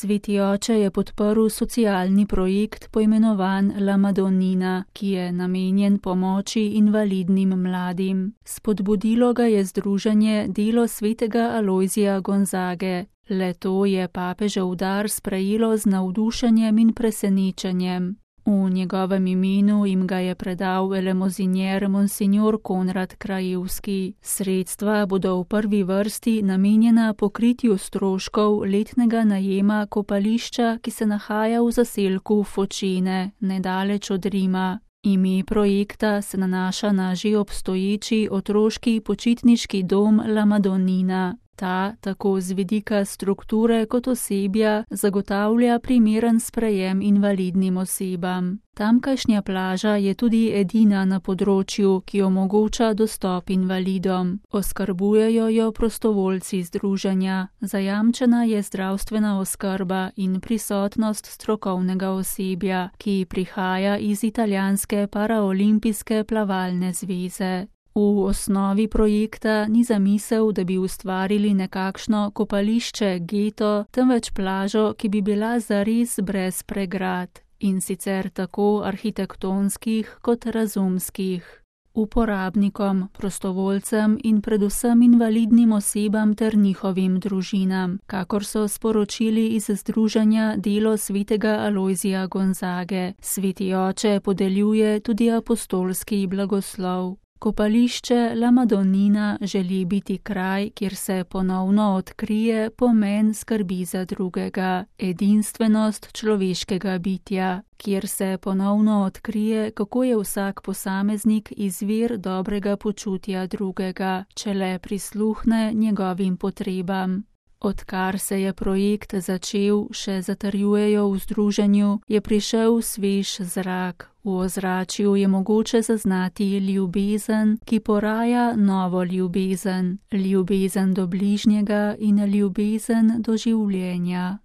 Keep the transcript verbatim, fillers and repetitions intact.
Sveti oče je podprl socialni projekt poimenovan La Madonnina, ki je namenjen pomoči invalidnim mladim. Spodbudilo ga je združenje Delo svetega Alojzija Gonzage. Le to je papežev dar sprejelo z navdušenjem in presenečenjem. V njegovem imenu jim ga je predal elemozinjer monsignor Konrad Krajewski. Sredstva bodo v prvi vrsti namenjena pokritju stroškov letnega najema kopališča, ki se nahaja v zaselku Fočene, nedaleč od Rima. Ime projekta se nanaša na že obstoječi otroški počitniški dom La Madonnina. Ta, tako z vidika strukture kot osebja, zagotavlja primeren sprejem invalidnim osebam. Tamkajšnja plaža je tudi edina na področju, ki omogoča dostop invalidom. Oskrbujejo jo prostovoljci združenja, zajamčena je zdravstvena oskrba in prisotnost strokovnega osebja, ki prihaja iz italijanske paraolimpijske plavalne zveze. V osnovi projekta ni zamisel, da bi ustvarili nekakšno kopališče geto, temveč plažo, ki bi bila zares brez pregrad, in sicer tako arhitektonskih kot razumskih. Uporabnikom, prostovoljcem in predvsem invalidnim osebam ter njihovim družinam, kakor so sporočili iz združenja Delo svetega Alojzija Gonzage. Sveti oče podeljuje tudi apostolski blagoslov. Kopališče La Madonnina želi biti kraj, kjer se ponovno odkrije pomen skrbi za drugega, edinstvenost človeškega bitja, kjer se ponovno odkrije, kako je vsak posameznik izvir dobrega počutja drugega, če le prisluhne njegovim potrebam. Odkar se je projekt začel, še zatrjujejo v združenju, je prišel svež zrak. V ozračju je mogoče zaznati ljubezen, ki poraja novo ljubezen, ljubezen do bližnjega in ljubezen do življenja.